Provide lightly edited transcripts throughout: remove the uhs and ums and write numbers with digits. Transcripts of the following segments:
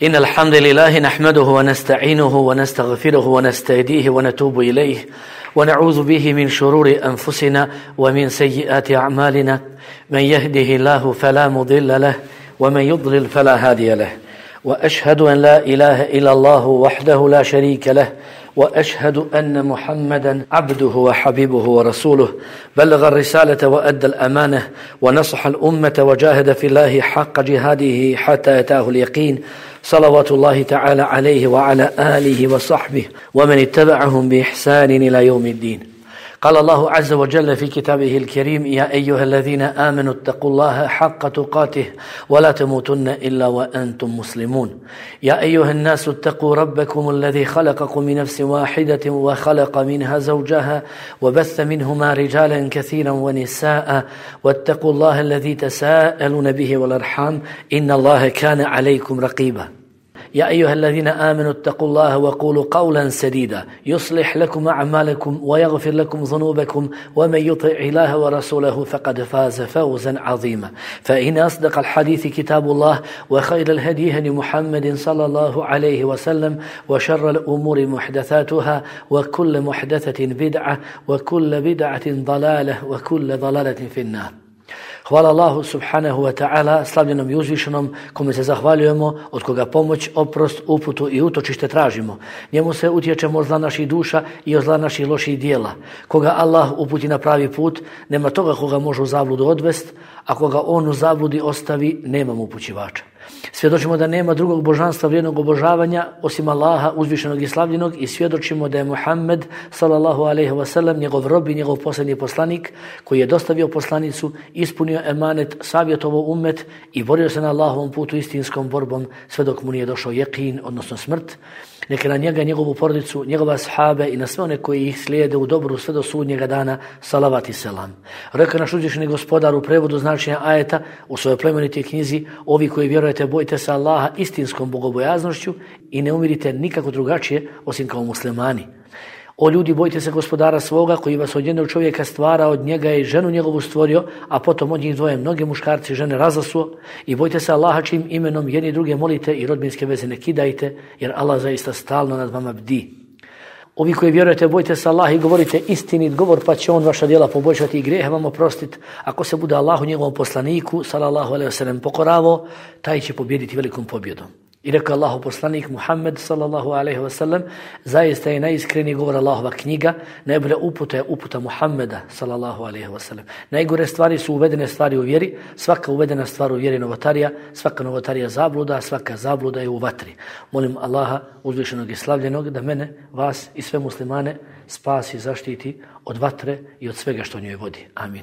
إن الحمد لله نحمده ونستعينه ونستغفره ونستهديه ونتوب إليه ونعوذ به من شرور أنفسنا ومن سيئات أعمالنا من يهده الله فلا مضل له ومن يضلل فلا هادي له وأشهد أن لا إله إلا الله وحده لا شريك له وأشهد أن محمدا عبده وحبيبه ورسوله بلغ الرسالة وأدى الأمانة ونصح الأمة وجاهد في الله حق جهاده حتى أتاه اليقين صلوات الله تعالى عليه وعلى آله وصحبه ومن اتبعهم بإحسان إلى يوم الدين. قال الله عز وجل في كتابه الكريم: يا أيها الذين آمنوا اتقوا الله حق تقاته ولا تموتن إلا وأنتم مسلمون. يا أيها الناس اتقوا ربكم الذي خلقكم من نفس واحدة وخلق منها زوجها وبث منهما رجالا كثيرا ونساء واتقوا الله الذي تساءلون به والأرحام إن الله كان عليكم رقيبا. يا أيها الذين آمنوا اتقوا الله وقولوا قولا سديدا يصلح لكم أعمالكم ويغفر لكم ذنوبكم ومن يطع الله ورسوله فقد فاز فوزا عظيما. فإن أصدق الحديث كتاب الله وخير الهدي هدي محمد صلى الله عليه وسلم وشر الأمور محدثاتها وكل محدثة بدعة وكل بدعة ضلالة وكل ضلالة في النار. Hvala Allahu subhanahu wa ta'ala, slavljenom i uzvišenom, kome se zahvaljujemo, od koga pomoć, oprost, uputu i utočište tražimo. Njemu se utječemo od zla naših duša i od zla naših loših dijela. Koga Allah uputi na pravi put, nema toga koga može u zabludu odvest, a koga on u zabludi ostavi, nema mu upućivača. Svjedočimo da nema drugog božanstva vrijednog obožavanja osim Allaha uzvišenog i slavljenog i svjedočimo da je Muhammed sallallahu alejhi ve sellem njegov rob i njegov posljednji poslanik koji je dostavio poslanicu, ispunio emanet, savjetovao ummet i borio se na Allahovom putu istinskom borbom sve dok mu nije došao jeqin, odnosno smrt. Neka na njega, njegovu porodicu, njegove ashabe i na sve one koji ih slijede u dobru sve do sudnjega dana, salavat i selam. Rekao naš uzvišeni gospodar u prevodu značenja ajeta u svojoj plemenitoj knjizi: ovi koji vjerujete, bojite se Allaha istinskom bogobojaznošću i ne umirite nikako drugačije osim kao muslimani. O ljudi, bojite se gospodara svoga koji vas od jednog čovjeka stvara, od njega je ženu njegovu stvorio, a potom od njih dvoje mnoge muškarci i žene razasuo. I bojte se Allaha čijim imenom jedni druge molite i rodbinske veze ne kidajte, jer Allah zaista stalno nad vama bdi. Ovi koji vjerujete, bojte se Allaha i govorite istinit govor, pa će on vaša djela poboljšati i grijehe vam oprostiti. Ako se bude Allahu njegovom poslaniku sallallahu alejhi ve sellem pokoravo, taj će pobijediti velikom pobjedom. I rekao Allahu poslanik Muhammed sallallahu alejhi ve sellem: zaista je najiskreniji govor Allahova knjiga, najbolja uputa je uputa Muhammeda sallallahu alejhi ve sellem. Najgore stvari su uvedene stvari u vjeri, svaka uvedena stvar u vjeri novotarija, svaka novotarija zabluda, svaka zabluda je u vatri. Molim Allaha uzvišenog i slavljenog da mene, vas i sve muslimane spasi, zaštiti od vatre i od svega što njoj vodi. Amin.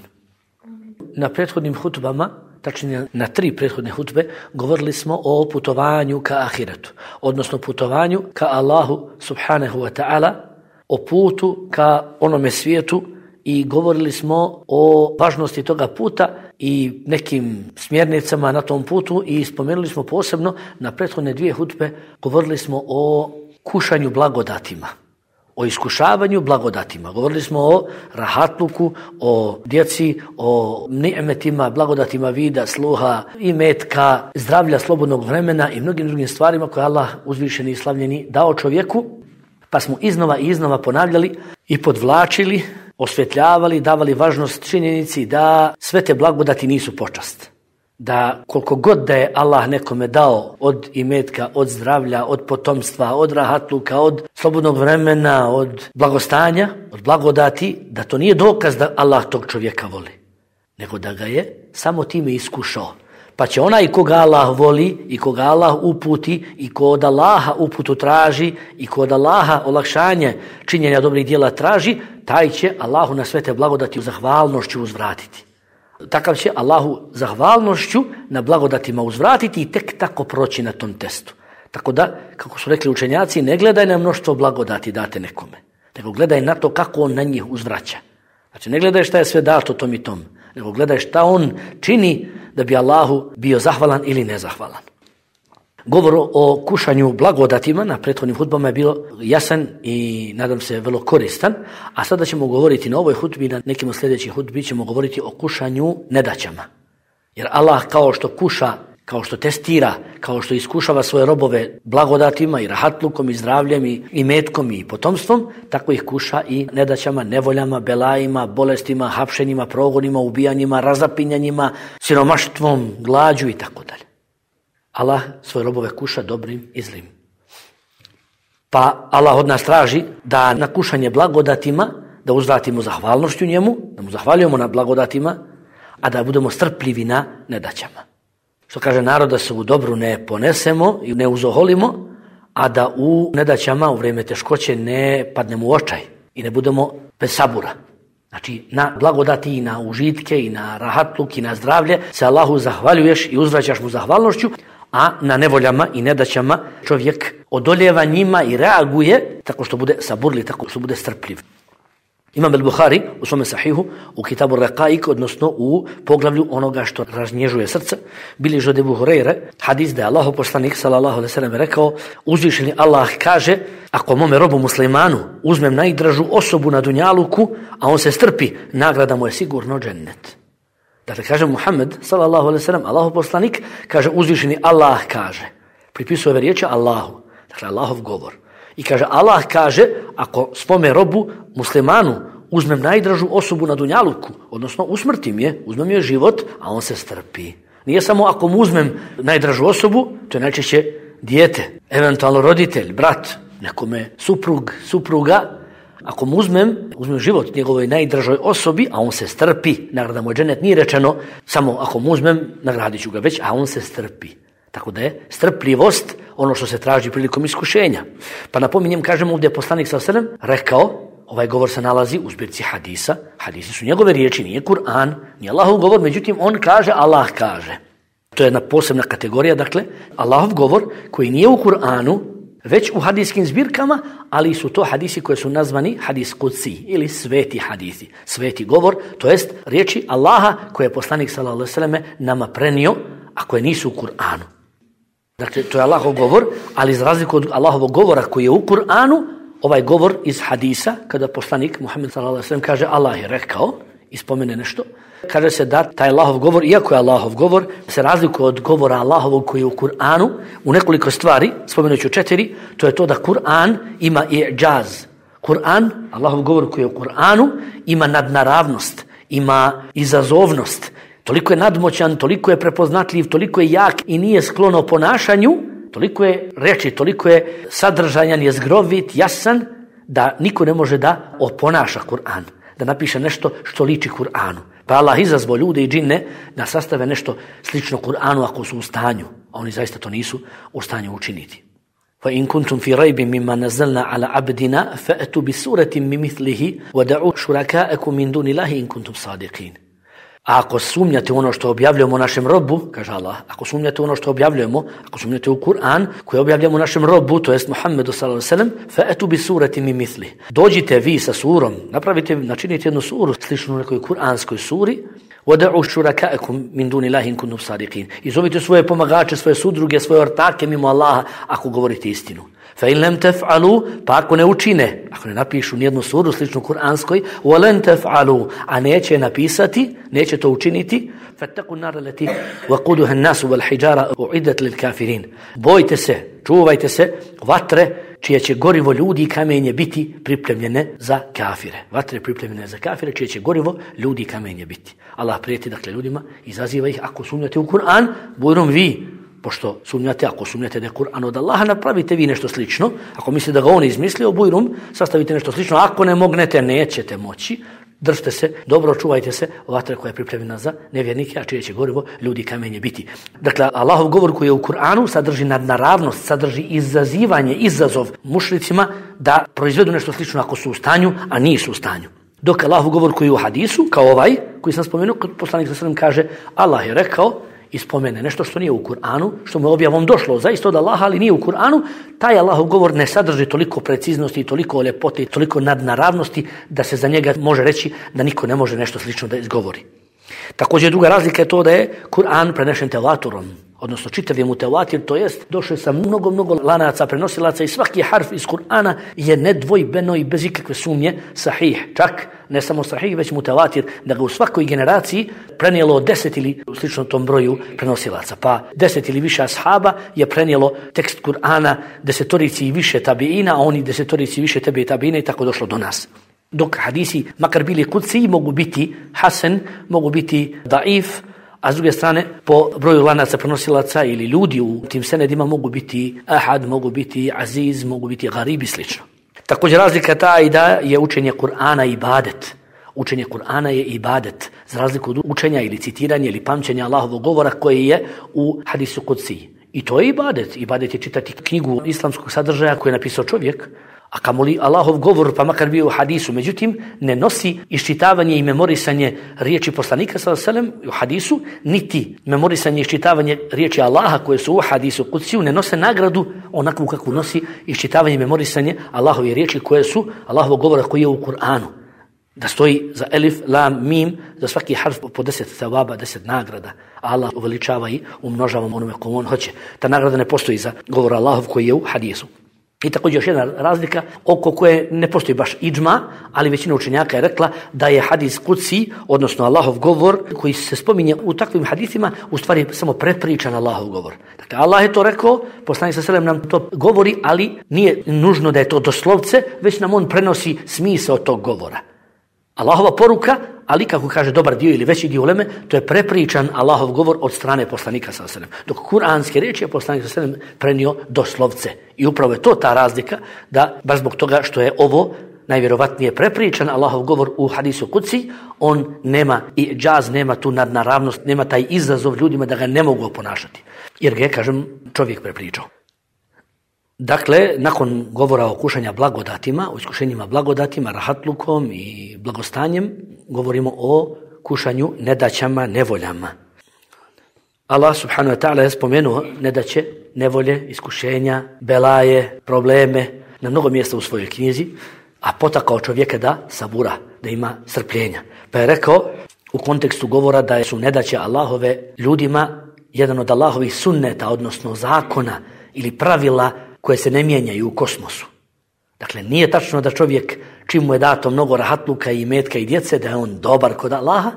Na prethodnim hutbama, tačnije na 3 prethodne hutbe, govorili smo o putovanju ka ahiretu, odnosno putovanju ka Allahu subhanahu wa ta'ala, o putu ka onome svijetu i govorili smo o važnosti toga puta i nekim smjernicama na tom putu i spomenuli smo posebno na prethodne 2 hutbe, govorili smo o kušanju blagodatima, o iskušavanju blagodatima. Govorili smo o rahatluku, o djeci, o ni'metima, blagodatima vida, sluha, imetka, zdravlja, slobodnog vremena i mnogim drugim stvarima koje Allah uzvišeni i slavljeni dao čovjeku, pa smo iznova i iznova ponavljali i podvlačili, osvjetljavali, davali važnost činjenici da sve te blagodati nisu počast. Da koliko god da je Allah nekome dao od imetka, od zdravlja, od potomstva, od rahatluka, od slobodnog vremena, od blagostanja, od blagodati, da to nije dokaz da Allah tog čovjeka voli, nego da ga je samo time iskušao. Pa će onaj koga Allah voli i koga Allah uputi i ko od Allaha uputu traži i ko od Allaha olakšanje činjenja dobrih djela traži, taj će Allahu na sve te blagodati zahvalnošću uzvratiti. Takav će Allahu zahvalnošću na blagodatima uzvratiti i tek tako proći na tom testu. Tako da, kako su rekli učenjaci, ne gledaj na mnoštvo blagodati date nekome, nego gledaj na to kako on na njih uzvraća. Znači, ne gledaj šta je sve dato tom i tom, nego gledaj šta on čini da bi Allahu bio zahvalan ili nezahvalan. Govor o kušanju blagodatima na prethodnim hutbama je bilo jasan i nadam se vrlo koristan, a sada ćemo govoriti na ovoj hutbi, na nekim od sljedećih hutbi ćemo govoriti o kušanju nedaćama. Jer Allah kao što kuša kao što testira, kao što iskušava svoje robove blagodatima i rahatlukom i zdravljem i metkom i potomstvom, tako ih kuša i nedaćama, nevoljama, belajima, bolestima, hapšenjima, progonima, ubijanjima, razapinjanjima, siromaštvom, glađu i tako dalje. Allah svoje robove kuša dobrim i zlim. Pa Allah od nas traži da na kušanje blagodatima, da uzvratimo zahvalnošću njemu, da mu zahvaljujemo na blagodatima, a da budemo strpljivi na nedaćama. Što kaže narod, da se u dobru ne ponesemo i ne uzoholimo, a da u nedaćama u vrijeme teškoće ne padnemo u očaj i ne budemo bez sabura. Znači, na blagodati i na užitke i na rahatluk i na zdravlje se Allahu zahvaljuješ i uzvraćaš mu zahvalnošću, a na nevoljama i nedaćama čovjek odoljeva njima i reaguje tako što bude saburli, tako što bude strpljiv. Imam al-Buhari u svome sahihu, u Kitabu Raqaik, odnosno u poglavlju onoga što raznježuje srce, bilježi od Ebu Hureyre hadis da je Allahov poslanik sallallahu alejhi ve sellem rekao: uzvišeni Allah kaže, ako mome robu muslimanu uzmem najdražu osobu na dunjaluku, a on se strpi, nagrada mu je sigurno džennet. Dakle, kaže Muhammed sallallahu alejhi ve sellem, Allahov poslanik kaže, uzvišeni Allah kaže, pripisuje ove riječi Allahu, dakle Allahov govor. I kaže, Allah kaže, ako spome robu muslimanu uzmem najdražu osobu na dunjaluku, odnosno usmrtim je, uzmem joj život, a on se strpi. Nije samo ako mu uzmem najdražu osobu, to je najčešće dijete, eventualno roditelj, brat, nekome suprug, supruga. Ako mu uzmem život njegovoj najdražoj osobi, a on se strpi, nagrada mu je džennet, nije rečeno samo ako mu uzmem, nagradit ću ga već, a on se strpi. Tako da je strpljivost ono što se traži prilikom iskušenja. Pa napominjem, kažemo ovdje poslanik sallallahu alejhi ve sellem rekao, ovaj govor se nalazi u zbirci hadisa, hadisi su njegove riječi, nije Kur'an, nije Allahov govor, međutim on kaže, Allah kaže. To je jedna posebna kategorija, dakle, Allahov govor koji nije u Kur'anu, već u hadijskim zbirkama, ali su to hadisi koji su nazvani hadis kudsi ili sveti hadisi, sveti govor, to jest riječi Allaha koje je poslanik sallallahu alejhi ve sellem nama prenio, a koje nisu u Kur'anu. Dakle, to je Allahov govor, ali za razliku od Allahovog govora koji je u Kur'anu, ovaj govor iz hadisa, kada poslanik Muhammed sallallahu alejhi ve sellem kaže Allah je rekao i spomene nešto, kaže se da taj Allahov govor, iako je Allahov govor, se razlikuje od govora Allahovog koji je u Kur'anu u nekoliko stvari, spomenuću 4, to je to da Kur'an ima i'džaz. Kur'an, Allahov govor koji je u Kur'anu, ima nadnaravnost, ima izazovnost. Toliko je nadmoćan, toliko je prepoznatljiv, toliko je jak i nije sklono ponašanju, toliko je reči, toliko je sadržajan, je zgrovit, jasan, da niko ne može da oponaša Kur'an, da napiše nešto što liči Kur'anu. Pa Allah izazvao ljude i džinne da sastave nešto slično Kur'anu ako su u stanju, a oni zaista to nisu u stanju učiniti. فَإِن كُنْتُمْ فِي رَيْبٍ مِّمَّا نَزَّلْنَا عَلَى عَبْدِنَا فَأْتُوا بِسُورَةٍ مِّن مِّثْلِهِ وَدَعُوا شُرَكَاءَكُم مِّن دُونِ اللَّهِ إِن كُنتُمْ صَادِقِينَ. A ako sumnjate ono što objavljujemo našem robu, kaže Allah, ako sumnjate ono što objavljujemo, ako sumnjate u Kur'an koji objavljujemo našem robu, to jest Muhammedu sallallahu alejhi ve sellem, fa'atu bi surati min mithli. Dođite vi sa surom, načinite jednu suru sličnu nekoj kuranskoj suri, wad'u shuraka'akum min dunillahi in kuntum sadiqin. I zovite svoje pomagače, svoje sudruge, svoje ortake mimo Allaha ako govorite istinu. Fa in lam taf'alu, pa ako ne učine, ako ne napišu nijednu suru sličnu kuranskoj, wa lan taf'alu, a neće napisati, neće to učiniti, fattaqu an-nar allati waquduha an-nas wal hijara u'iddat lil kafirin. Bojte se, čuvajte se vatre čije će gorivo ljudi i kamenje biti pripremljene za kafire. Vatre pripremljene za kafire čije će gorivo ljudi i kamenje biti. Allah prijeti dakle ljudima, izaziva ih ako sumnjate u Kur'an, bujrom vi, pošto sumnjate, ako sumnjate da je Kur'an od Allaha, napravite vi nešto slično. Ako mislite da ga on izmislio, bujrum, sastavite nešto slično. Ako ne mognete, nećete moći. Držite se, dobro čuvajte se, vatra koja je pripremljena za nevjernike, a čije će gorivo ljudi i kamenje biti. Dakle, Allahov govor koji je u Kur'anu sadrži nadnaravnost, sadrži izazivanje, izazov mušricima da proizvedu nešto slično ako su u stanju, a nisu u stanju. Dok Allahov govor koji je u hadisu, kao ovaj, koji sam spomenuo, poslanik sallallahu alejhi ve sellem kaže, Allah je rekao, i spomene nešto što nije u Kur'anu, što mu je objavom došlo zaista od Allaha, ali nije u Kur'anu, taj Allahov govor ne sadrži toliko preciznosti, toliko ljepote, toliko nadnaravnosti da se za njega može reći da niko ne može nešto slično da izgovori. Također druga razlika je to da je Kur'an prenešen tevaturom, odnosno čitav je mutevatir, to jest došao sa mnogo lanaca prenosilaca i svaki harf iz Kur'ana je nedvojbeno i bez ikakve sumnje sahih. Čak ne samo sahih, već mutevatir, da ga u svakoj generaciji prenijelo 10 ili slično tom broju prenosilaca. Pa 10 ili više ashaba je prenijelo tekst Kur'ana 10 i više tabiina, a oni 10 i više tebe i tabiina i tako došlo do nas. Dok hadisi, makar bili kudsi, mogu biti hasan, mogu biti daif, a s druge strane, po broju lanaca prenosilaca ili ljudi u tim senedima mogu biti ahad, mogu biti aziz, mogu biti garib i slično. Također razlika ta i da je učenje Kur'ana ibadet. Učenje Kur'ana je ibadet, za razliku od učenja ili citiranja ili pamćenja Allahovog govora koje je u hadisu kudsi. I to je ibadet. Ibadet je čitati knjigu islamskog sadržaja koju je napisao čovjek, a kamoli Allahov govor, pa makar bio u hadisu. Međutim, ne nosi iščitavanje i memorisanje riječi poslanika sallallahu alejhi ve sellem u hadisu, niti memorisanje i iščitavanje riječi Allaha koje su u hadisu kudsiju, ne nose nagradu onakvu kakvu nosi iščitavanje i memorisanje Allahove riječi koje su Allahovog govora koji je u Kur'anu. Da stoji za elif, lam, mim, za svaki harf po 10 thawaba, 10 nagrada. Allah uveličava i umnožava onome komu on hoće. Ta nagrada ne postoji za govor Allahov koji je u hadisu. I također još jedna razlika oko koje ne postoji baš idžma, ali većina učenjaka je rekla da je hadis kudsi, odnosno Allahov govor koji se spominje u takvim hadisima, u stvari samo prepričan Allahov govor. Dakle, Allah je to rekao, poslanik sallallahu alejhi ve sellem nam to govori, ali nije nužno da je to doslovce, već nam on prenosi smisao tog govora. Allahova poruka, ali kako kaže dobar dio ili veći dio uleme, to je prepričan Allahov govor od strane poslanika sallallahu alejhi ve sellem. Dok kuranske riječi je poslanik sallallahu alejhi ve sellem prenio doslovce. I upravo je to ta razlika, da baš zbog toga što je ovo najvjerovatnije prepričan Allahov govor u hadisu kudsi, on nema i džaz, nema tu nadnaravnost, nema taj izazov ljudima da ga ne mogu oponašati. Jer ga je, kažem, čovjek prepričao. Dakle, nakon govora o kušanja blagodatima, o iskušenjima blagodatima, rahatlukom i blagostanjem, govorimo o kušanju nedaćama, nevoljama. Allah subhanahu wa ta'ala je spomenuo nedaće, nevolje, iskušenja, belaje, probleme na mnogo mjesta u svojoj knjizi, a potakao čovjeka da sabura, da ima strpljenja. Pa je rekao u kontekstu govora da su nedaće Allahove ljudima jedan od Allahovih sunneta, odnosno zakona ili pravila koje se ne mijenjaju u kosmosu. Dakle, nije tačno da čovjek, čim mu je dato mnogo rahatluka i metka i djece, da je on dobar kod Allaha,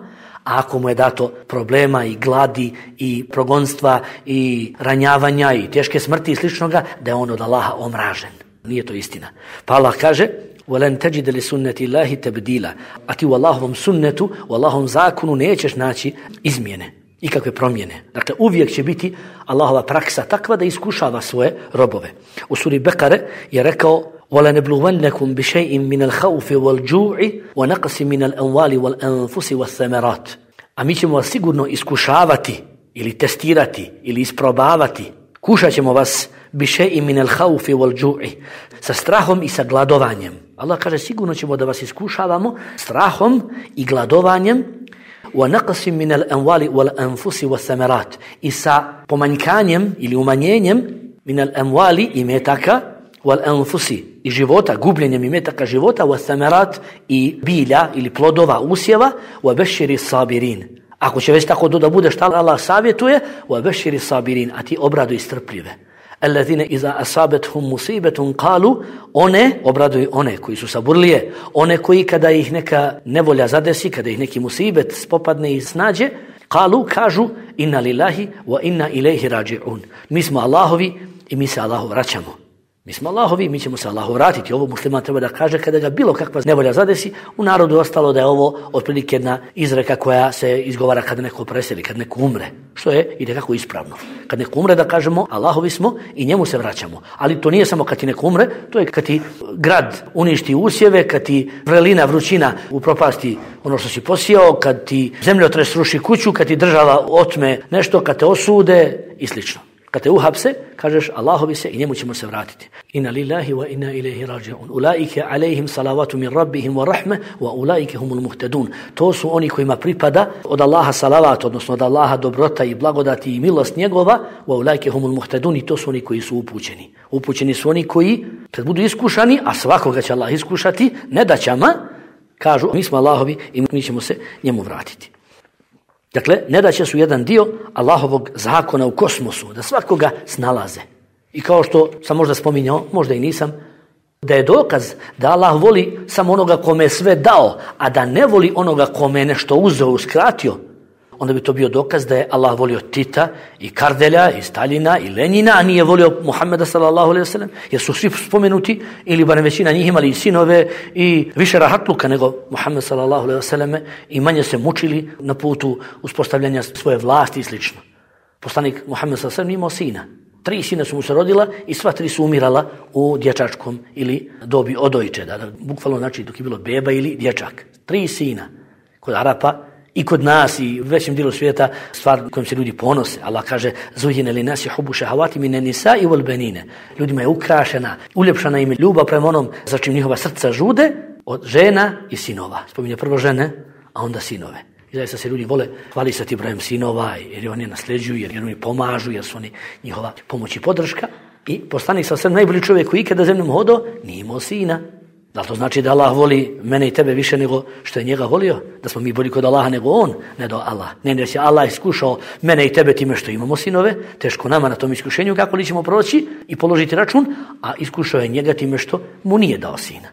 a ako mu je dato problema i gladi i progonstva i ranjavanja i teške smrti i sličnoga, da je on od Allaha omražen. Nije to istina. Pa Allah kaže: وَلَنْ تَجِدَ لِسُنَّةِ اللَّهِ تَبْدِيلًا. A ti u Allahovom sunnetu, u Allahovom zakonu nećeš naći izmjene, ikakve promjene. Dakle, uvijek će biti Allahova praksa takva da iskušava svoje robove. U suri Bekare je rekao: وَلَنَبْلُوَنَّكُمْ بِشَيْءٍ مِنَ الْخَوْفِ وَالْجُوعِ وَنَقْصٍ مِنَ الْأَمْوَالِ وَالْأَنْفُسِ وَالثَّمَرَاتِ. A mi ćemo vas sigurno iskušavati ili testirati ili isprobavati. Kušat ćemo vas بِشَيْءٍ مِنَ الْخَوْفِ وَالْجُوعِ, sa strahom i sa gladovanjem. Allah kaže: sigurno ćemo da vas iskušavamo strahom i gladovanjem. وَنَقْصٍ مِنَ الْأَمْوَالِ وَالْأَنْفُسِ وَالثَّمَرَاتِ, i sa pomanjkanjem ili umanjenjem min al-amwali, imetaka, wal-anfusi, i života, gubljenjem imetaka života, was-samarat, i bilja ili plodova, usjeva, wa bashiri sabirin. Ako će već tako da bude, šta Allah savjetuje? Wa bashiri sabirin, a ti obraduj strpljive. Allazina iza asabethum musibetun qalu, one, obraduj one koji su saburlije, one koji kada ih neka nevolja zadesi, kada ih neki musibet spopadne i snađe, qalu, kažu: inna lillahi wa inna ilaihi raji'un. Mi smo Allahovi i mi se Allahu vraćamo. Mi smo Allahovi, mi ćemo se Allahu vratiti. Ovo musliman treba da kaže kada ga bilo kakva nevolja zadesi. U narodu ostalo da je ovo otprilike jedna izreka koja se izgovara kada neko preseli, kada neko umre. Što je itekako ispravno. Kad neko umre da kažemo Allahovi smo i njemu se vraćamo. Ali to nije samo kad ti neko umre, to je kad ti grad uništi usjeve, kad ti vrelina, vrućina upropasti ono što si posijao, kad ti zemljotres ruši kuću, kad ti država otme nešto, kad te osude i slično. Kad te uhapse, kažeš Allahovi se i njemu ćemo se vratiti. Inna lillahi wa inna ilaihi raji'un. Ulaike alaihim salavatu min rabbihim wa rahme wa ulaike humul muhtadun. To su oni kojima pripada od Allaha salavat, odnosno od Allaha dobrota i blagodati i milost njegova, wa ulaike humul muhtadun, i to su oni koji su upućeni. Upućeni su oni koji, kad budu iskušani, a svakoga će Allah iskušati nedaćama, kažu: mi smo Allahovi i mi ćemo se njemu vratiti. Dakle, nedaće su jedan dio Allahovog zakona u kosmosu, da svakoga snalaze. I kao što sam možda spominjao, možda i nisam, da je dokaz da Allah voli samo onoga kome je sve dao, a da ne voli onoga kome je nešto uzeo, uskratio, onda bi to bio dokaz da je Allah volio Tita i Kardelja i Staljina i Lenjina, a nije volio Muhammeda sallallahu alejhi ve sellem, jer su svi spomenuti ili barem većina njih imali i sinove i više rahatluka nego Muhammed sallallahu alejhi ve selleme i manje se mučili na putu uspostavljanja svoje vlasti i slično. Poslanik Muhammed sallallahu alejhi ve sellem imao sina. 3 sina su mu se rodila i sva 3 su umirala u dječačkom ili dobi odojče, da bukvalno znači dok je bilo beba ili dječak. 3 sina kod Arapa i kod nas i u većem dijelu svijeta stvar kojom se ljudi ponose. Allah kaže: "Zujine li nasi hubu šehawati mine nisa'i wal banine." Ljudima je ukrašena, uljepšana im je ljubav prema onom za čim njihova srca žude od žena i sinova. Spominje prvo žene, a onda sinove. I zaista se ljudi vole hvalisati brojem sinova jer oni nasljeđuju, jer oni pomažu, jer su oni njihova pomoć i podrška. I poslanik sa sve najbolji čovjek koji ikada zemljom hodao nije imao sina. Da li to znači da Allah voli mene i tebe više nego što je njega volio? Da smo mi bolji kod Allaha nego on? Ne do Allah. Ne, da će Allah iskušao mene i tebe time što imamo sinove, teško nama na tom iskušenju kako li ćemo proći i položiti račun, a iskušao je njega time što mu nije dao sina.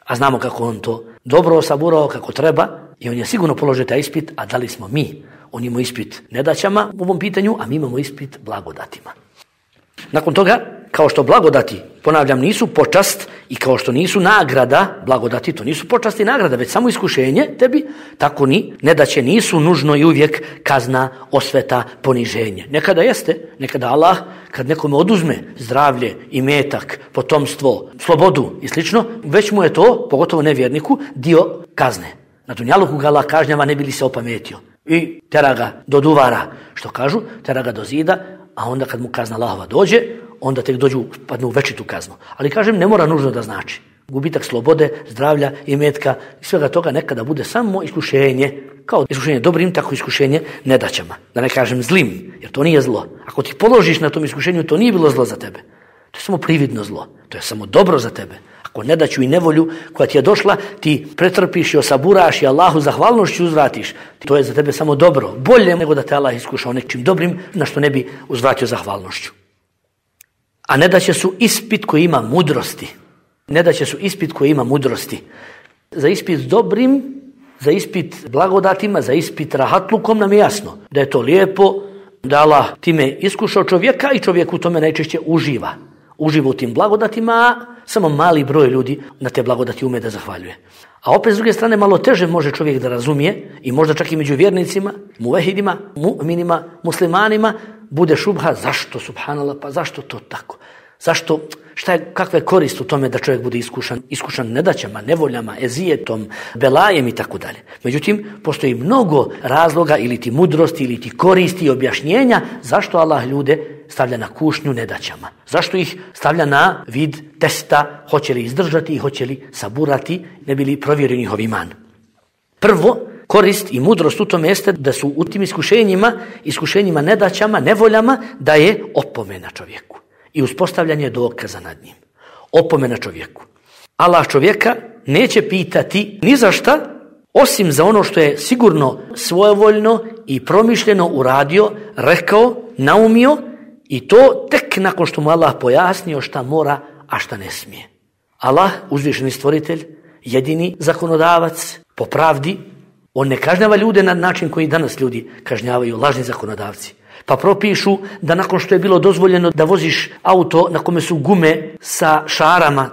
A znamo kako on to dobro osaburao, kako treba, i on je sigurno položio taj ispit, a da li smo mi? On ima ispit nedaćama u ovom pitanju, a mi imamo ispit blagodatima. Nakon toga, kao što blagodati, ponavljam, nisu počast i kao što nisu nagrada, blagodati to nisu počast i nagrada, već samo iskušenje tebi, tako ni nedaće nisu nužno i uvijek kazna, osveta, poniženje. Nekada jeste, nekada Allah, kad nekome oduzme zdravlje, imetak, potomstvo, slobodu i slično, već mu je to, pogotovo nevjerniku, dio kazne. Na dunjaluku ga Allah kažnjava ne bi li se opametio. I tera ga do duvara, što kažu, tera ga do zida, a onda kad mu kazna Allahova dođe, onda tek padnu u večitu kaznu. Ali kažem, ne mora nužno da znači. Gubitak slobode, zdravlja, imetka i svega toga nekada bude samo iskušenje, kao iskušenje dobrim, tako iskušenje nedaćama. Da ne kažem zlim, jer to nije zlo. Ako ti položiš na tom iskušenju, to nije bilo zlo za tebe. To je samo prividno zlo. To je samo dobro za tebe. Ako nedaću i nevolju koja ti je došla, ti pretrpiš i osaburaš i Allahu zahvalnošću uzvratiš. To je za tebe samo dobro. Bolje nego da te Allah iskušao nečim dobrim na što ne bi uzvratio zahvalnošću. A nedaće su ispit koji ima mudrosti. Nedaće su ispit koji ima mudrosti. Za ispit dobrim, za ispit blagodatima, za ispit rahatlukom nam je jasno da je to lijepo, da Allah time iskušao čovjeka i čovjek u tome najčešće uživa. Uživa u tim blagodatima, samo mali broj ljudi na te blagodati ume da zahvaljuje. A opet s druge strane malo teže može čovjek da razumije i možda čak i među vjernicima, muvehidima, mu'minima, muslimanima bude šubha zašto subhanallah, pa zašto to tako? Zašto, kakva je korist u tome da čovjek bude iskušan nedaćama, nevoljama, ezijetom, belajem i tako dalje. Međutim, postoji mnogo razloga ili ti mudrosti ili ti koristi i objašnjenja zašto Allah ljude stavlja na kušnju nedaćama. Zašto ih stavlja na vid testa, hoće li izdržati i hoće li saburati, ne bi li provjerio njihov iman. Prvo, korist i mudrost u tome jeste da su u tim iskušenjima, nedaćama, nevoljama, da je opomena čovjeku i uspostavljanje dokaza nad njim. Opomena čovjeku. Allah čovjeka neće pitati ni za šta, osim za ono što je sigurno svojevoljno i promišljeno uradio, rekao, naumio, i to tek nakon što mu Allah pojasnio šta mora, a šta ne smije. Allah, uzvišeni stvoritelj, jedini zakonodavac, po pravdi, on ne kažnjava ljude na način koji danas ljudi kažnjavaju, lažni zakonodavci. Pa propišu da nakon što je bilo dozvoljeno da voziš auto na kome su gume sa šarama,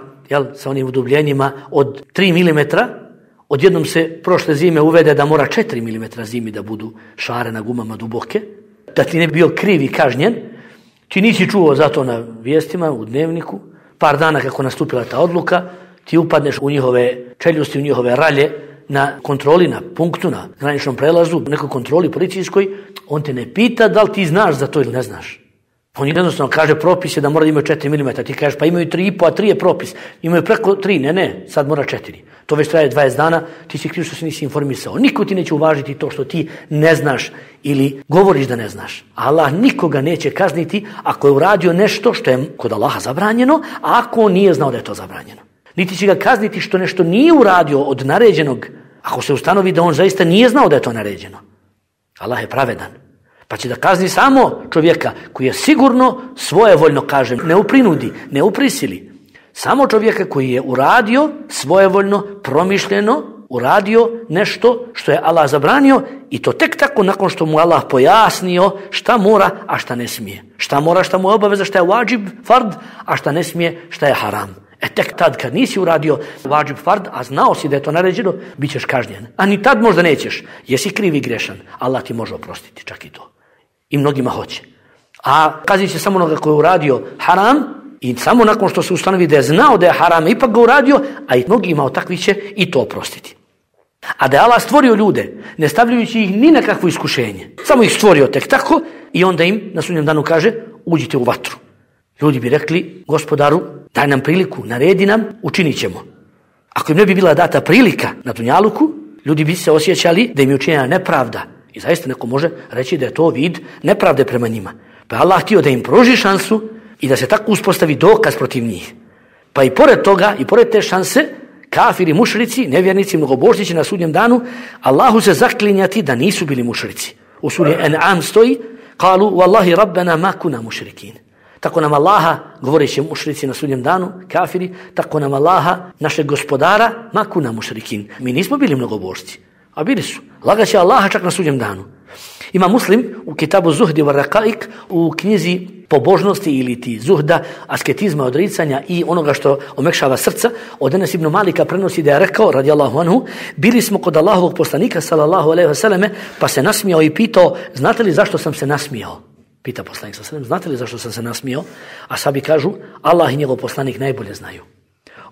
sa onim udubljenjima od 3 mm, odjednom se prošle zime uvede da mora 4 mm zimi da budu šare na gumama duboke, da ti ne bi bio kriv i kažnjen. Ti nisi čuo zato na vijestima, u dnevniku, par dana kako nastupila ta odluka, ti upadneš u njihove čeljusti, u njihove ralje, na kontroli, na punktu, na graničnom prelazu, u nekoj kontroli policijskoj, on te ne pita da li ti znaš za to ili ne znaš. On jednostavno kaže propis je da mora da imaju 4 mm, ti kažeš pa imaju 3,5, a 3 je propis, imaju preko 3, ne, sad mora 4. To već traje 20 dana, ti si kriv što se nisi informisao. Niko ti neće uvažiti to što ti ne znaš ili govoriš da ne znaš. Allah nikoga neće kazniti ako je uradio nešto što je kod Allaha zabranjeno, a ako on nije znao da je to zabranjeno. Niti će ga kazniti što nešto nije uradio od naređenog, ako se ustanovi da on zaista nije znao da je to naređeno. Allah je pravedan. Pa će da kazni samo čovjeka koji je sigurno svojevoljno, kažem, ne uprinudi, ne uprisili. Samo čovjeka koji je uradio svojevoljno, promišljeno, uradio nešto što je Allah zabranio i to tek tako nakon što mu Allah pojasnio šta mora, a šta ne smije. Šta mora, šta mu je obaveza, šta je vađib, fard, a šta ne smije, šta je haram. Tek tad kad nisi uradio vađib, fard, a znao si da je to naređeno, bit ćeš kažnjen. A ni tad možda nećeš. Jesi kriv i grešan. Allah ti može oprostiti čak i to. I mnogima hoće. A kaznit će samo onoga koji je uradio haram i samo nakon što se ustanovi da je znao da je haram, ipak ga uradio, a i mnogima od takvih će i to oprostiti. A da je Allah stvorio ljude, ne stavljajući ih ni na kakvo iskušenje. Samo ih stvorio tek tako i onda im na sudnjem danu kaže uđite u vatru. Ljudi bi rekli Gospodaru daj nam priliku, naredi nam, učinit ćemo. Ako im ne bi bila data prilika na dunjaluku, ljudi bi se osjećali da im je učinjena nepravda. I zaista neko može reći da je to vid nepravde prema njima. Pa je Allah htio da im pruži šansu i da se tako uspostavi dokaz protiv njih. Pa i pored toga, i pored te šanse, kafiri, mušrici, nevjernici, mnogobožnici na sudnjem danu, Allahu se zaklinjati da nisu bili mušrici. U suri An'am stoji, kalu, wallahi rabbena ma kuna mušrikin. Tako nam Allaha, govoreći mušrici na sudnjem danu, kafiri, tako nam Allaha, našeg gospodara, ma kuna mušrikin. Mi nismo bili mnogobožci, a bili su. Lagaće Allaha čak na sudnjem danu. Ima Muslim u kitabu Zuhdi wa Raqaik, u knjizi pobožnosti ili ti zuhda, asketizma, odricanja i onoga što omekšava srca, od Enes ibn Malika prenosi da je rekao, radijallahu anhu, bili smo kod Allahovog poslanika, sallallahu alejhi ve selleme, pa se nasmijao i pitao, znate li zašto sam se nasmijao? Pita poslanik sallallahu alejhi ve sellem, znate li zašto sam se nasmijao? A sahabi kažu, Allah i njegov poslanik najbolje znaju.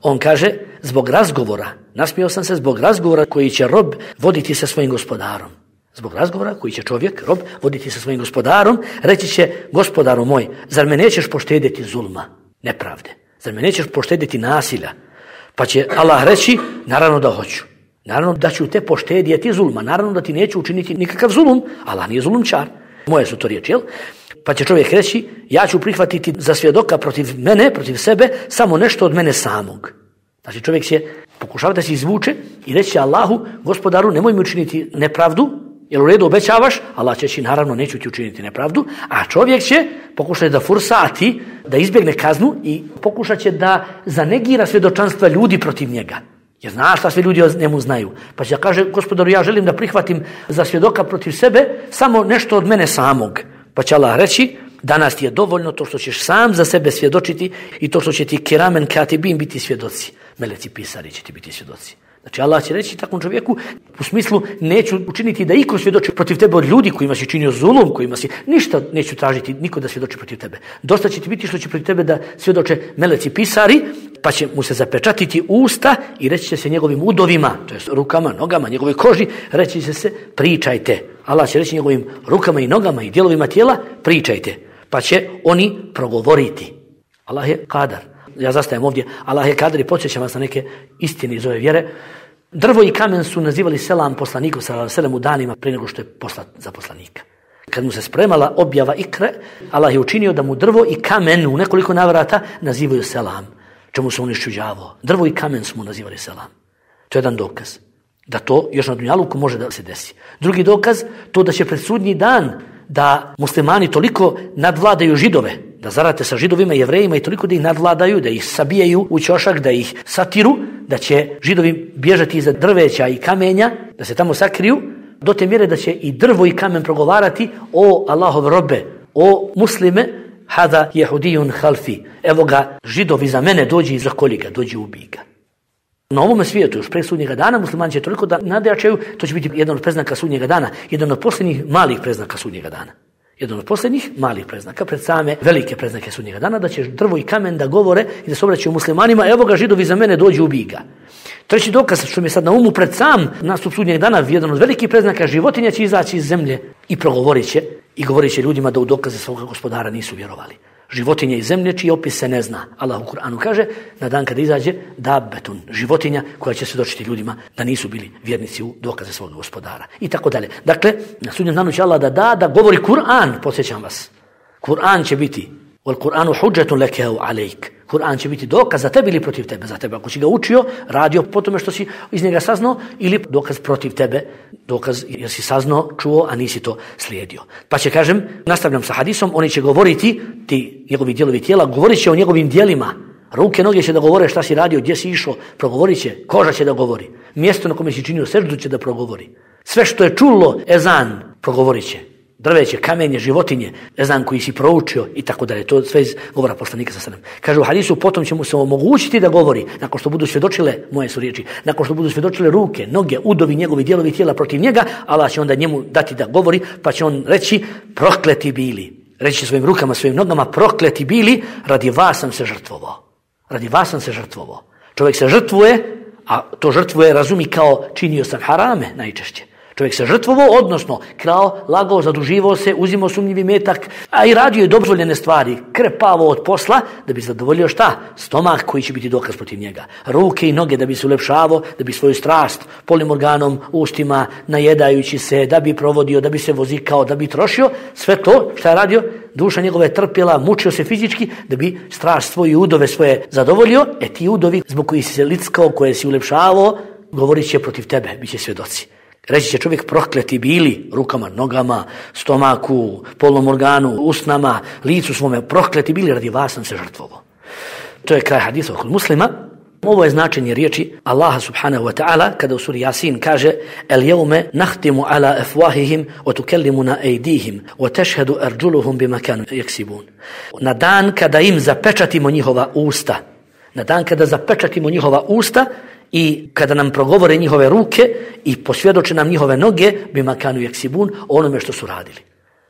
On kaže, zbog razgovora, nasmijao sam se zbog razgovora koji će rob voditi sa svojim gospodarom. Zbog razgovora koji će čovjek, rob, voditi sa svojim gospodarom, reći će, gospodaru moj, zar me nećeš poštedjeti zulma, nepravde? Zar me nećeš poštedjeti nasilja? Pa će Allah reći, naravno da hoću. Naravno da ću te poštedjeti zulma. Naravno da ti neću učiniti nikakav zulum. Allah nije zulumčar. Moje su to riječi, jel? Pa će čovjek reći, ja ću prihvatiti za svjedoka protiv mene, protiv sebe, samo nešto od mene samog. Znači čovjek će pokušavati da se izvuče i reći će Allahu, gospodaru, nemoj mi učiniti nepravdu, jer u redu obećavaš, Allah će naravno neću ti učiniti nepravdu, a čovjek će pokušati da fursati, da izbjegne kaznu i pokušat će da zanegira svjedočanstva ljudi protiv njega. Jer zna šta sve ljudi o njemu znaju. Pa će da kaže, gospodaru, ja želim da prihvatim za svjedoka protiv sebe samo nešto od mene samog. Pa će Allah reći, danas ti je dovoljno to što ćeš sam za sebe svjedočiti i to što će ti kiramen katibin biti svjedoci. Meleci pisari će ti biti svjedoci. Znači Allah će reći takvom čovjeku u smislu neću učiniti da iko svjedoči protiv tebe od ljudi kojima si činio zulum, kojima si ništa neću tražiti niko da svjedoči protiv tebe. Dosta će ti biti što će protiv tebe da svjedoče meleci pisari, pa će mu se zapečatiti usta i reći će se njegovim udovima, to jest rukama, nogama, njegovoj koži, reći će se pričajte. Allah će reći njegovim rukama i nogama i dijelovima tijela pričajte. Pa će oni progovoriti. Allah je kadar. Ja zastajem ovdje, Allah je kadar i podsjećam vas na neke istine iz ove vjere. Drvo i kamen su nazivali selam poslaniku sallallahu alejhi ve sellem u danima prije nego što je poslat za poslanika. Kad mu se spremala objava ikre, Allah je učinio da mu drvo i kamen u nekoliko navrata nazivaju selam, čemu se on iščuđavao. Drvo i kamen su mu nazivali selam. To je jedan dokaz da to još na dunjaluku može da se desi. Drugi dokaz, to da će pred sudnji dan da muslimani toliko nadvladaju Židove, da zarate sa Židovima i Jevrejima i toliko da ih nadvladaju, da ih sabijaju u ćošak, da ih satiru, da će Židovi bježati iza drveća i kamenja, da se tamo sakriju, do te mjere da će i drvo i kamen progovarati, o Allahov robe, o muslime, hada jehudijun halfi, evo ga Židovi za mene, dođi i zakolji ga, dođi ubij ga. Na ovome svijetu, još pre sudnjega dana, muslimani će toliko da nadjačaju, to će biti jedan od preznaka sudnjega dana, jedan od posljednjih malih preznaka sudnjega dana. Jedan od posljednjih malih preznaka, pred same velike preznake sudnjega dana, da će drvo i kamen da govore i da se obraćaju muslimanima, evo ga Židovi za mene, dođi ubij ga. Treći dokaz, što mi je sad na umu, pred sam nastup sudnjeg dana, jedan od velikih preznaka, životinja će izaći iz zemlje i progovorit će i govorit će ljudima da u dokaze svoga gospodara nisu vjerovali. Životinje iz zemlje čiji opis se ne zna. Allah u Kur'anu kaže na dan kada izađe dabbetun, životinja koja će svjedočiti ljudima da nisu bili vjernici u dokaze svog gospodara. I tako dalje. Dakle, na sudnjem danu će Allah da govori Kur'an, podsjećam vas. Kur'an će biti wal Kur'anu hudžetun leke au alejk. Kur'an će biti dokaz za tebe ili protiv tebe. Za tebe ako si ga učio, radio po tome što si iz njega saznao, ili dokaz protiv tebe, dokaz jer si saznao, čuo, a nisi to slijedio. Pa će, kažem, nastavljam sa hadisom, oni će govoriti, ti njegovi dijelovi tijela, govorit će o njegovim dijelima. Ruke, noge će da govore šta si radio, gdje si išao, progovorit će, koža će da govori. Mjesto na kome si činio seždu će da progovori. Sve što je čulo ezan, progovorit će. Drveće, kamenje, životinje, ezan koji si proučio i tako dalje. To sve iz govora poslanika sa sallam. Kaže u hadisu, potom će mu se omogućiti da govori, nakon što budu svjedočile, moje su riječi, nakon što budu svjedočile ruke, noge, udovi, njegovi dijelovi tijela protiv njega, Allah će onda njemu dati da govori, pa će on reći, prokleti bili. Reći svojim rukama, svojim nogama, prokleti bili, radi vas sam se žrtvovao. Radi vas sam se žrtvovao. Čovjek se žrtvuje, a to žrtvuje razumi kao činio sam harame najčešće. Čovjek se žrtvovao, odnosno krao, lagao, zaduživao se, uzimao sumnjivi metak, a i radio je dozvoljene stvari, krepavo od posla, da bi zadovoljio šta? Stomak koji će biti dokaz protiv njega. Ruke i noge da bi se ulepšavao, da bi svoju strast polnim organom, ustima, najedajući se, da bi provodio, da bi se vozikao, da bi trošio. Sve to šta je radio? Duša njegova je trpjela, mučio se fizički, da bi strast svoje udove svoje zadovoljio. Ti udovi zbog koji si se lickao, koje si ulepšavao, govorit će protiv tebe, bit će svjedoci. Reći će čovjek prokleti bili rukama, nogama, stomaku, polnom organu, usnama, licu svome, prokleti bili, radi vas sam se žrtvovao. To je kraj hadisa kod Muslima. Ovo je značenje riječi Allaha subhanahu wa ta'ala kada u suri Yasin kaže el jevme nahtimu ala afwahihim wa tukellimuna ejdihim wa tešhedu arđuluhum bima kanu yaksibun. Na dan kada im zapečatimo njihova usta, na dan kada zapečatimo njihova usta i kada nam progovore njihove ruke i posvjedoče nam njihove noge bima kanu yaksibun, onome što su radili.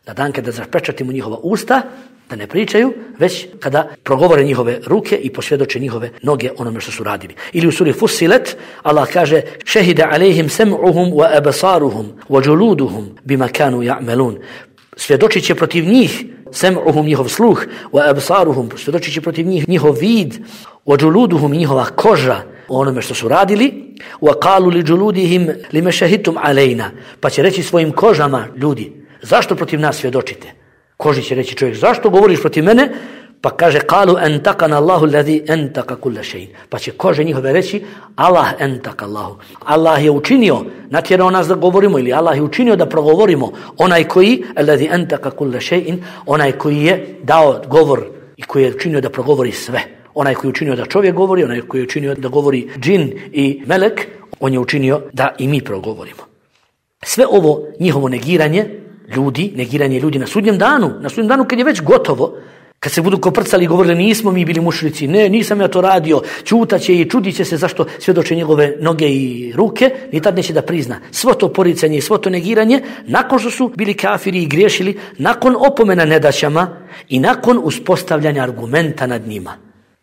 Na dan kada zapečatimo njihova usta, da ne pričaju, već kada progovore njihove ruke i posvjedoče njihove noge onome što su radili. Ili u suri Fussilet Allah kaže šehide alejhim sem'uhum wa absaruhum wa juluduhum bima kanu ya'malun. Svjedočit će protiv njih sem'uhum njihov sluh wa absaruhum, svjedočit će protiv njih njihov vid wa juluduhum njihova koža onome što su radili. Wa qalu li juludihim lima shahidtum alejna, pa će reći svojim kožama ljudi, zašto protiv nas svjedočite? Koži će reći čovjek, zašto govoriš protiv mene? Pa kaže, qalu antakana Allahu alladhi antaka kulla shay. Pa će kože njihove reći, Allah antaka Allahu. Allah je učinio, natjerao nas da govorimo, ili Allah je učinio da progovorimo. Onaj koji, alladhi antaka kulla shay, onaj koji je dao govor i koji je učinio da progovori sve. Onaj koji je učinio da čovjek govori, onaj koji je učinio da govori džin i melek, on je učinio da i mi progovorimo. Sve ovo njihovo negiranje ljudi na sudnjem danu kad je već gotovo, kad se budu koprcali i govorili nismo mi bili mušrici, ne, nisam ja to radio, ćutaće i čudit će se zašto svjedoče njegove noge i ruke, ni tad neće da prizna. Svo to poricanje i svo to negiranje, nakon što su bili kafiri i griješili, nakon opomena nedaćama i nakon uspostavljanja argumenta nad njima,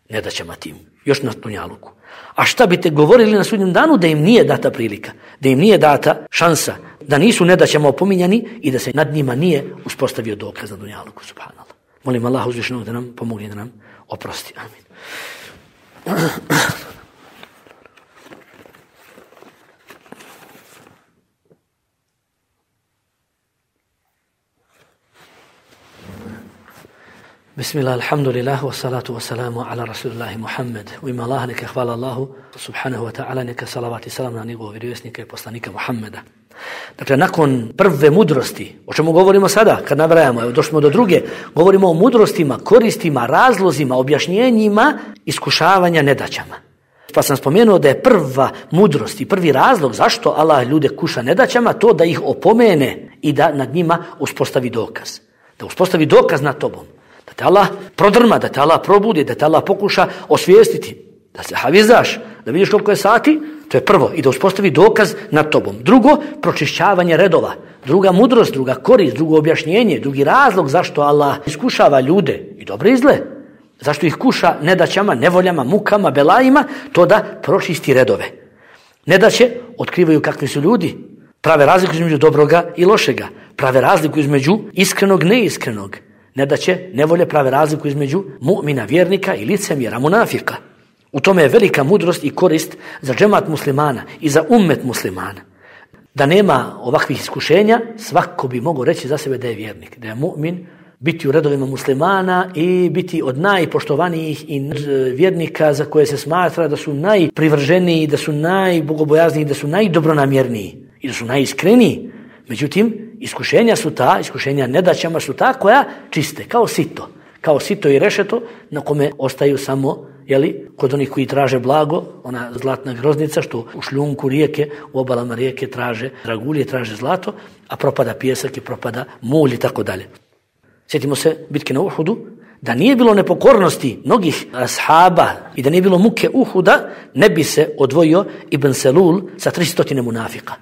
nedaćama tim, još na dunjaluku. A šta bi te govorili na sudnjem danu da im nije data prilika, da im nije data šansa, da nisu nedaćama opominjani i da se nad njima nije uspostavio dokaz na dunjaluku, subhanallah. Molim Allah uzvišenog da nam pomogne, da nam oprosti. Amin. Bismillah, alhamdulillah, wa salatu wa salamu ala rasulillahi Muhammed. U ime Allah neka hvala Allahu subhanahu wa ta'ala, neka salavat i salam na njegovog vjerovjesnika i poslanika Muhammeda. Dakle, nakon prve mudrosti, o čemu govorimo sada, kad nabrajamo, evo došli smo do druge, govorimo o mudrostima, koristima, razlozima, objašnjenjima, iskušavanja nedaćama. Pa sam spomenuo da je prva mudrost i prvi razlog zašto Allah ljude kuša nedaćama, to da ih opomene i da nad njima uspostavi dokaz. Da uspostavi dokaz nad tobom. Da te Allah prodrma, da te Allah probudi, da te Allah pokuša osvijestiti, da se havizaš, da vidiš koliko je sati, to je prvo, i da uspostavi dokaz nad tobom. Drugo, pročišćavanje redova. Druga mudrost, druga korist, drugo objašnjenje, drugi razlog zašto Allah iskušava ljude i dobre i zle. Zašto ih kuša nedaćama, nevoljama, mukama, belajima, to da pročisti redove. Nedaće otkrivaju kakvi su ljudi, prave razliku između dobroga i lošega, prave razliku između iskrenog i neiskrenog. Nedaće, nevolje prave razliku između mu'mina, vjernika i licemjera, munafika. U tome je velika mudrost i korist za džemat muslimana i za ummet muslimana. Da nema ovakvih iskušenja, svako bi mogao reći za sebe da je vjernik, da je mu'min, biti u redovima muslimana i biti od najpoštovanijih i vjernika za koje se smatra da su najprivrženiji, da su najbogobojazniji, da su najdobronamjerniji i da su najiskreniji. Međutim, iskušenja nedaćama su ta koja čiste, kao sito i rešeto na kome ostaju samo, kod onih koji traže blago, ona zlatna groznica što u šljunku rijeke, u obalama rijeke traže dragulje, traže zlato, a propada pijesak i propada mulj i tako dalje. Sjetimo se bitke na Uhudu, da nije bilo nepokornosti mnogih ashaba i da nije bilo muke Uhuda, ne bi se odvojio Ibn Selul sa 300 munafika.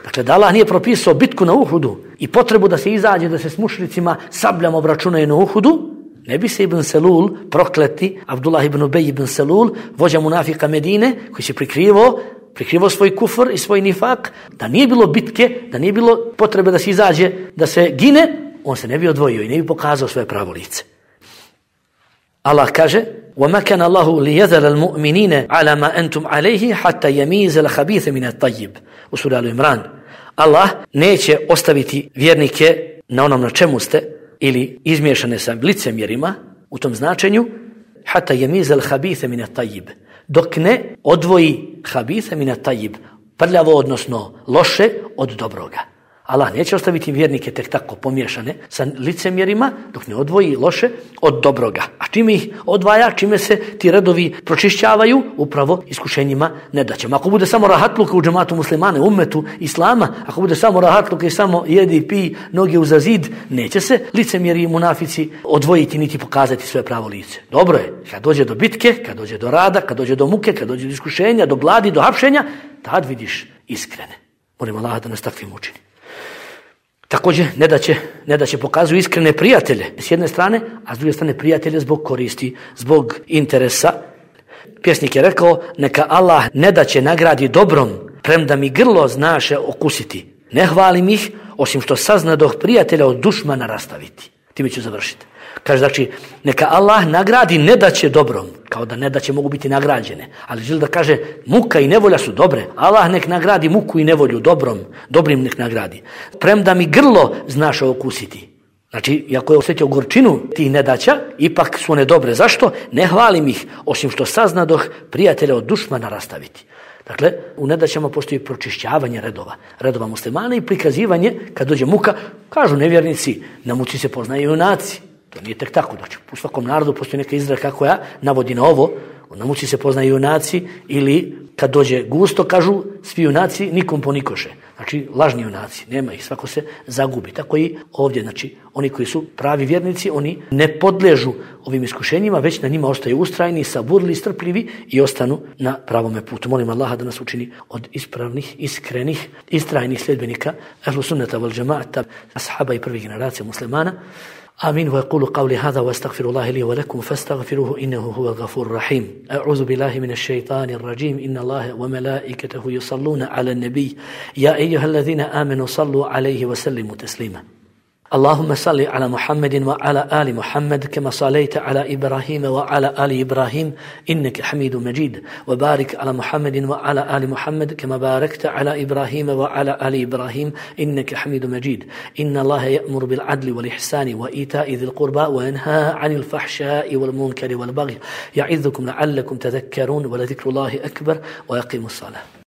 Dakle, da Allah nije propisao bitku na Uhudu i potrebu da se izađe, da se s mušricima sabljama obračunaju na Uhudu, ne bi se Ibn Selul, prokleti Abdullah ibn Ubej ibn Selul, vođa munafika Medine, koji se prikrivao svoj kufr i svoj nifak, da nije bilo bitke, da nije bilo potrebe da se izađe, da se gine, on se ne bi odvojio i ne bi pokazao svoje pravo lice. Allah kaže: وَمَا كَانَ اللَّهُ لِيَذَرَ الْمُؤْمِنِينَ عَلَى مَا أَنْتُمْ عَلَيْهِ حَتَّى يَمِيزَ الْخَبِيثَ مِنَ الطَّيِّبِ u suri Al-Imran. Allah neće ostaviti vjernike na onom na čemu ste ili izmiješane sa licemjerima u tom značenju حَتَّى يَمِيزَ الْخَبِيثَ مِنَ الطَّيِّبِ dok ne odvoji habitha min at-tayyib, prljavo odnosno loše od dobroga. Allah neće ostaviti vjernike tek tako pomiješane sa licemjerima dok ne odvoji loše od dobroga. A čime ih odvaja, čime se ti redovi pročišćavaju? Upravo iskušenjima nedaćama. Ako bude samo rahatluka u džematu muslimane, ummetu islama, ako bude samo rahatluka i samo jedi, pi, noge uza zid, neće se licemjeri i munafici odvojiti niti pokazati svoje pravo lice. Dobro je, kad dođe do bitke, kad dođe do rada, kad dođe do muke, kad dođe do iskušenja, do gladi, do hapšenja, tad vidiš iskrene. Molim Allah da nas takvim učini. Također, ne da će pokazuju iskrene prijatelje s jedne strane, a s druge strane prijatelje zbog koristi, zbog interesa. Pjesnik je rekao: neka Allah ne da će nagradi dobrom, premda mi grlo znaše okusiti. Ne hvalim ih, osim što saznadoh prijatelja od dušmana rastaviti. Time ću završiti. Kaže, znači, neka Allah nagradi nedaće dobrom, kao da nedaće mogu biti nagrađene, ali želi da kaže muka i nevolja su dobre. Allah nek nagradi muku i nevolju dobrim nek nagradi. Premda mi grlo znaš okusiti. Znači, iako je osjetio gorčinu tih nedaća, ipak su one dobre. Zašto? Ne hvalim ih, osim što saznadoh prijatelja od dušmana rastaviti. Dakle, u nedaćama postoji pročišćavanje redova muslimana i prikazivanje, kad dođe muka, kažu nevjernici, na muci se poznaju junaci. To nije tek tako. Znači, u svakom narodu postoji neka izreka koja navodi na ovo. Na muci se poznaju junaci, ili kad dođe gusto, kažu svi junaci nikom ponikoše. Znači, lažni junaci, nema ih, svako se zagubi. Tako i ovdje, znači, oni koji su pravi vjernici, oni ne podležu ovim iskušenjima, već na njima ostaju ustrajni, saburli, strpljivi i ostanu na pravome putu. Molim Allaha da nas učini od ispravnih, iskrenih, istrajnih sljedbenika ahlu sunnata wal džemaata, ashaba i prvih generacija muslimana. آمين. ويقول قولي هذا واستغفر الله لي ولكم فاستغفروه إنه هو الغفور الرحيم. أعوذ بالله من الشيطان الرجيم. إن الله وملائكته يصلون على النبي يا أيها الذين آمنوا صلوا عليه وسلموا تسليما. اللهم صل على محمد وعلى آل محمد كما صليت على إبراهيم وعلى آل إبراهيم إنك حميد مجيد. وبارك على محمد وعلى آل محمد كما باركت على إبراهيم وعلى آل إبراهيم إنك حميد مجيد. إن الله يأمر بالعدل والإحسان وإيتاء ذي القربى وينهى عن الفحشاء والمنكر والبغي يعظكم لعلكم تذكرون ولذكر الله أكبر ويقيم الصلاة.